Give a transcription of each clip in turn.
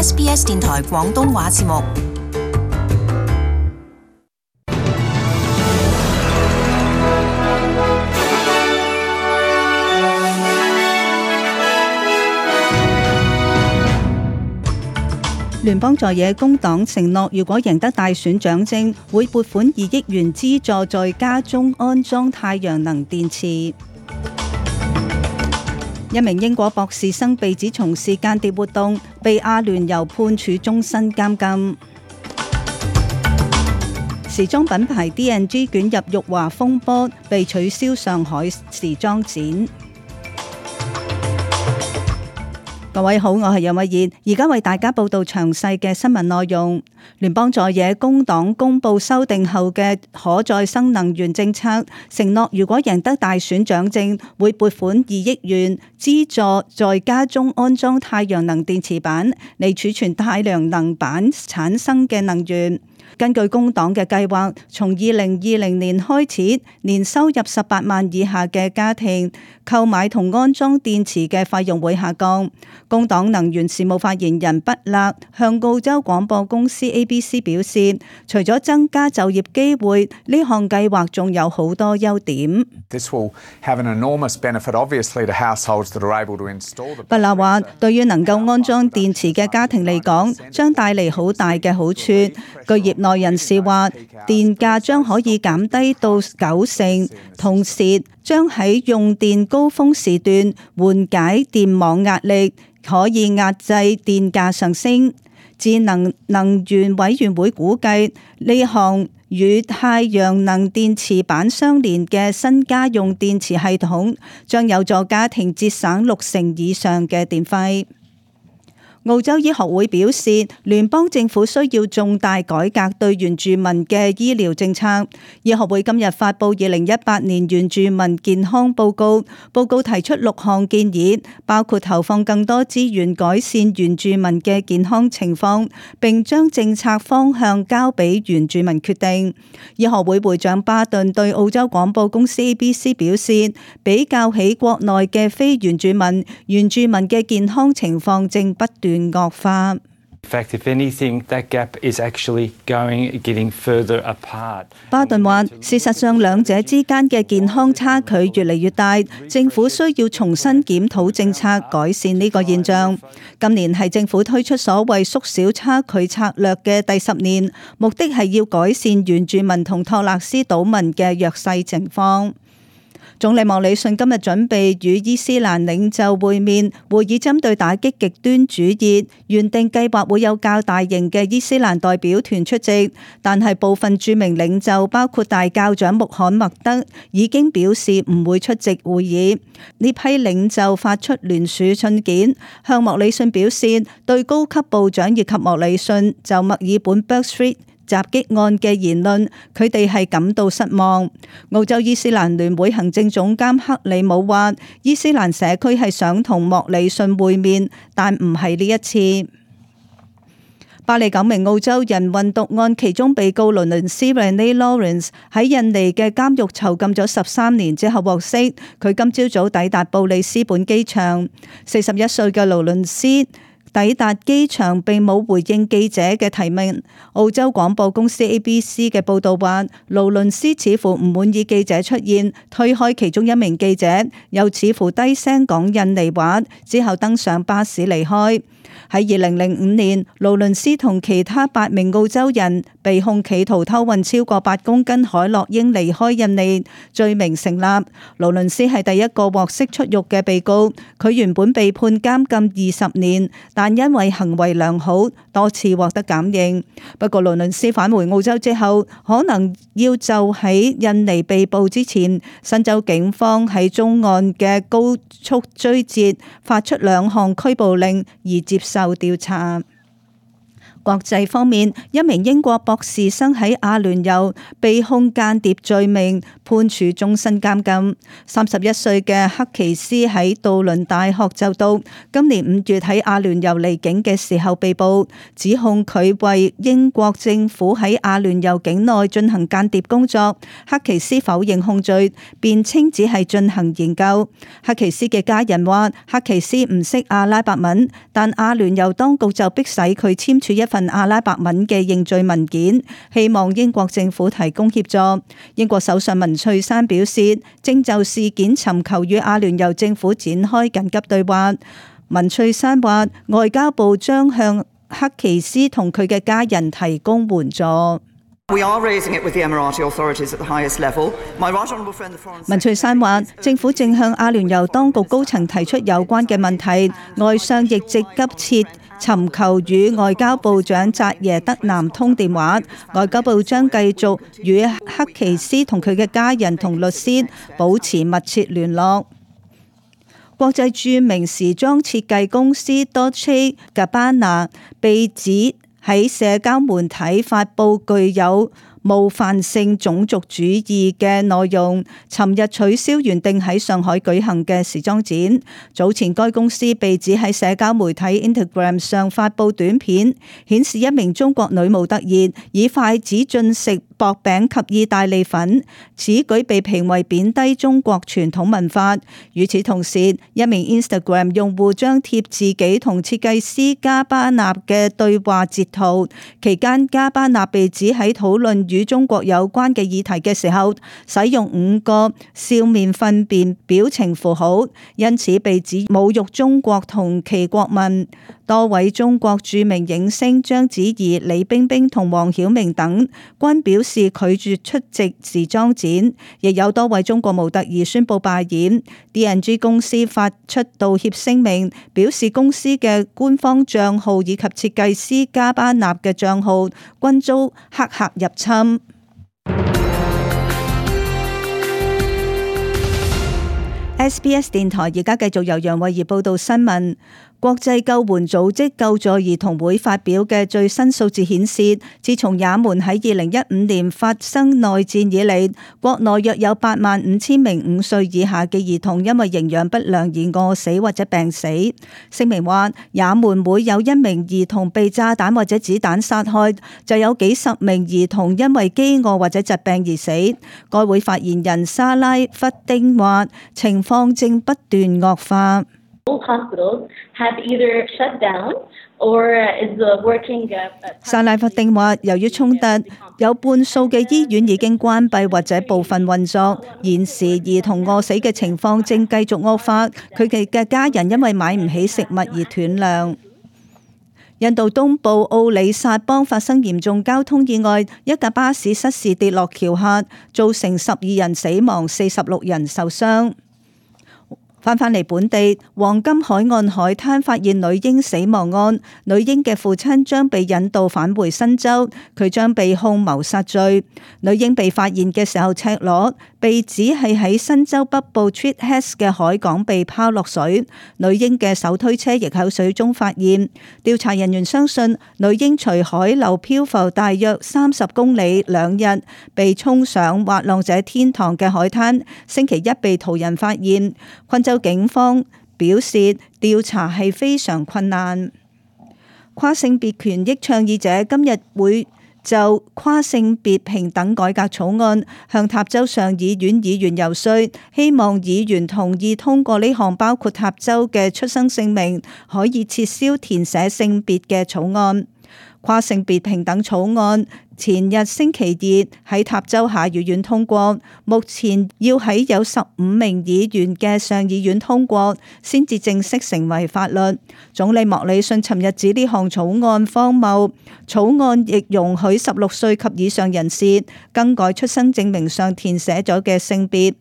SBS 電台廣東話節目。聯邦在野工黨承諾，如果贏得大選掌政，會撥款2億元資助在家中安裝太陽能電池。一名英國博士生被指從事間諜活動，被阿聯酋判處終身監禁。時裝品牌 D&G 捲入辱華風波，被取消上海時裝展。各位好，我係楊慧燕，而家為大家報道詳細嘅新聞內容。聯邦在野工黨公布修訂後嘅可再生能源政策，承諾如果贏得大選掌政，會撥款2億元資助在家中安裝太陽能電池板，嚟儲存太陽能板產生嘅能源。根據工黨嘅計劃，從2020年開始，年收入18萬以下嘅家庭購買同安裝電池嘅費用會下降。工黨能源事務發言人畢勒向澳洲廣播公司 ABC 表示，除咗增加就業機會，呢項計劃仲有好多優點。畢勒話，對於能夠安裝電池嘅家庭嚟講，將帶嚟好大嘅好處。據業內人士話，電價將可以減低到90%，同時將喺用電高峰時段緩解電網壓力，可以壓制電價上升。智能能源委員會估計，呢項與太陽能電池板相連嘅新家用電池系統，將有助家庭節省60%以上嘅電費。澳洲醫學會表示，聯邦政府需要重大改革對原住民嘅醫療政策。醫學會今日發布2018年原住民健康報告，報告提出6項建議，包括投放更多資源改善原住民嘅健康情況，並將政策方向交俾原住民決定。醫學會會長巴頓對澳洲廣播公司 ABC 表示，比較起國內嘅非原住民，原住民嘅健康情況正不斷惡化。巴頓話，事實上兩者之間嘅健康差距越嚟越大，政府需要重新檢討政策，改善呢個現象。今年係政府推出所謂縮小差距策略嘅第10年，目的係要改善原住民同托勒斯島民嘅弱勢情況。總理莫里遜今日準備與伊斯蘭領袖會面，會議針對打擊極端主義，原定計劃會有較大型嘅伊斯蘭代表團出席，但係部分著名領袖包括大教長穆罕默德已經表示唔會出席會議。呢批領袖發出聯署信件，向莫里遜表示對高級部長以及莫里遜就墨爾本 Bourke Street襲擊案嘅言論，佢哋係感到失望。澳洲伊斯蘭聯會行政總監克里姆話，伊斯蘭社區係想同莫里遜會面，但唔係呢一次。巴里9名澳洲人運毒案其中被告勞倫斯 Renee Lawrence 喺印尼嘅監獄囚禁咗13年之後獲釋，佢今朝早抵達布里斯本機場。41歲嘅勞倫斯抵達機場並冇回應記者嘅提問。澳洲廣播公司 ABC 嘅報導話，勞倫斯似乎唔滿意記者出現，推開其中一名記者，又似乎低聲講印尼話，之後登上巴士離開。喺2005年，勞倫斯同其他8名澳洲人被控企圖偷運超過8公斤海洛因離開印尼，罪名成立。勞倫斯係第一個獲釋出獄嘅被告，佢原本被判監禁20年，但因為行為良好，多次獲得減刑。不過勞倫斯返回澳洲之後，可能要就喺印尼被捕之前，新州警方喺中岸嘅高速追截發出2項拘捕令而接受調查。國際方面，一名英國博士生喺阿聯酋被控間諜罪名，判處終身監禁。31歲嘅克奇斯喺杜倫大學就讀，今年5月喺阿聯酋離境嘅時候被捕，指控佢為英國政府喺阿聯酋境內進行間諜工作。克奇斯否認控罪，辯稱只係進行研究。克奇斯嘅家人話，克奇斯唔識阿拉伯文，但阿聯酋當局就迫使佢簽署一份阿拉伯文嘅認罪文件，希望英國政府提供協助。英國首相文翠珊表示，正就事件尋求與阿聯酋政府展開緊急對話。文翠珊話，外交部將向克奇斯同佢嘅家人提供援助。文翠珊話，政府正向阿聯酋當局高層提出有關嘅問題，外相亦正急切尋求與外交部長扎耶德南通電話。外交部將繼續與克奇斯同佢嘅家人同律師保持密切聯絡。國際著名時裝設計公司 Dolce & Gabbana 被指喺社交媒體發布具有冒犯性種族主義嘅內容，尋日取消原定喺上海舉行嘅時裝展。早前該公司被指喺社交媒體 Instagram 上發布短片，顯示一名中國女模特兒以筷子進食薄餅及意大利粉，此舉被評為貶低中國傳統文化。與此同時，一名 Instagram 用戶張貼自己同設計師加巴納嘅對話截圖，期間加巴納被指喺討論與中國有關嘅議題嘅時候，使用5個笑面糞便表情符號，因此被指侮辱中國同其國民。多位中國著名影星章子怡、李冰冰同黃曉明等均表示拒絕出席時裝展，亦有多位中國模特兒宣布罷演。D&G 公司發出道歉聲明，表示公司嘅官方賬號以及設計師加巴納嘅賬號均遭黑客入侵。SBS 電台而家繼續由楊慧儀報道新聞。國際救援組織救助兒童會發表嘅最新數字顯示，自從也門喺2015年發生內戰以嚟，國內約有85000名5歲以下嘅兒童因為營養不良而餓死或者病死。聲明話，也門每有1名兒童被炸彈或者子彈殺害，就有幾十名兒童因為飢餓或者疾病而死。該會發言人沙拉弗丁話，情況正不斷惡化。沙拉弗丁話，由於衝突，有半數嘅醫院已經關閉或者部分運作。現時兒童餓死嘅情況正繼續惡化，佢哋嘅家人因為買唔起食物而斷糧。印度東部奧里薩邦發生嚴重交通意外，一架巴士失事跌落橋下，造成12人死亡、46人受傷。返嚟本地，黃金海岸海灘發現女嬰死亡案，女嬰嘅父親將被引渡返回新州，佢將被控謀殺罪。女嬰被發現嘅時候赤裸，被指係喺新州北部 Tweed Heads 嘅海港被拋落水。女嬰嘅手推車亦喺水中發現。調查人員相信女嬰隨海流漂浮大約30公里2日，被沖上滑浪者天堂嘅海灘，星期一被途人發現。昆州警方表示調查係非常困難。跨性別權益倡議者今日會就跨性別平等改革草案向塔州上議院議員游說，希望議員同意通過呢項包括塔州嘅出生證明可以撤銷填寫性別嘅草案。跨性別平等草案前日星期二喺塔州下議院通過，目前要喺有15名議員嘅上議院通過先至正式成為法律。總理莫里遜尋日指呢項草案荒謬，草案亦容許16歲及以上人士更改出生證明上填寫咗嘅性別。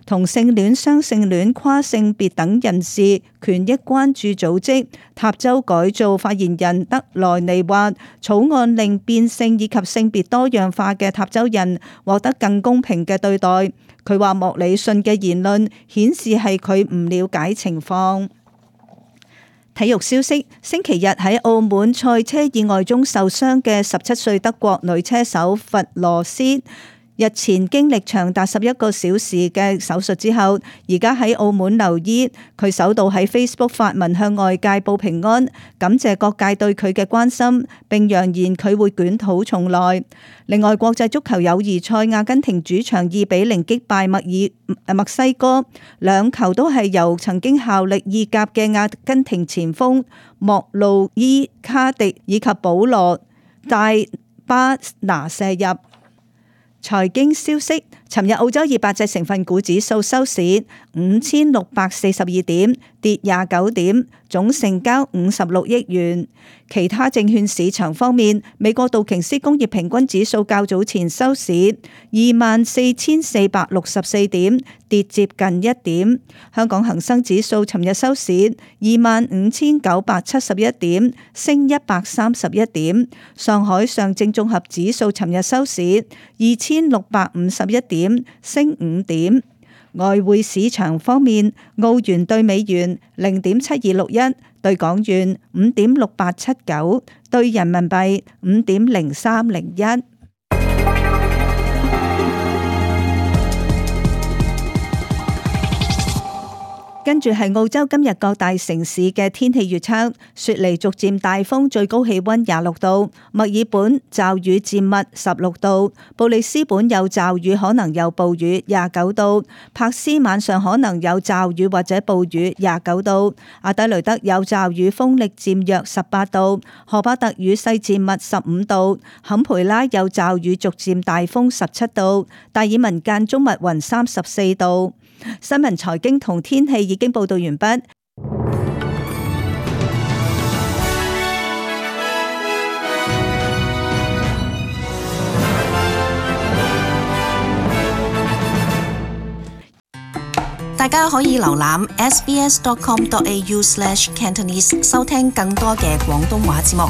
同性戀、雙性戀、跨性別等人士權益關注組織塔州改造發言人德萊尼話，草案令變性以及性別多樣化嘅塔州人獲得更公平嘅對待。佢話莫里遜嘅言論顯示係佢唔了解情況。體育消息：星期日喺澳門賽車意外中受傷嘅17歲德國女車手弗羅斯，日前經歷長達11個小時嘅手術之後，而家喺澳門留醫。佢首度喺 Facebook 發文向外界報平安，感謝各界對佢嘅關心，並揚言佢會捲土重來。另外，國際足球友誼賽，阿根廷主場2-0擊敗墨西哥，兩球都係由曾經效力意甲嘅阿根廷前鋒莫路伊卡迪以及保羅戴巴拿射入。財經消息：尋日澳洲200隻成分股指數收市5642點，跌29點，總成交56億元。其他證券市場方面，美國道瓊斯工業平均指數較早前收市24,464點，跌接近1點。香港恒生指數尋日收市25,971點，升131點。上海上證綜合指數尋日收市2,651點，升5點。外匯市場方面，澳元對美元0.7261，對港元5.6879，對人民幣5.0301。跟住係澳洲今日各大城市嘅天氣預測：雪梨逐漸大風，最高氣溫26度；墨爾本驟雨漸密16度；布里斯本有驟雨可能有暴雨29度；柏斯晚上可能有驟雨或者暴雨29度；阿德雷德有驟雨風力漸弱18度；荷巴特雨勢漸密15度；坎培拉有驟雨逐漸大風17度；達爾文間中密雲34度。新聞、財經同天氣已經報道完畢。大家可以瀏覽 sbs.com.au/cantonese 收聽更多嘅廣東話節目。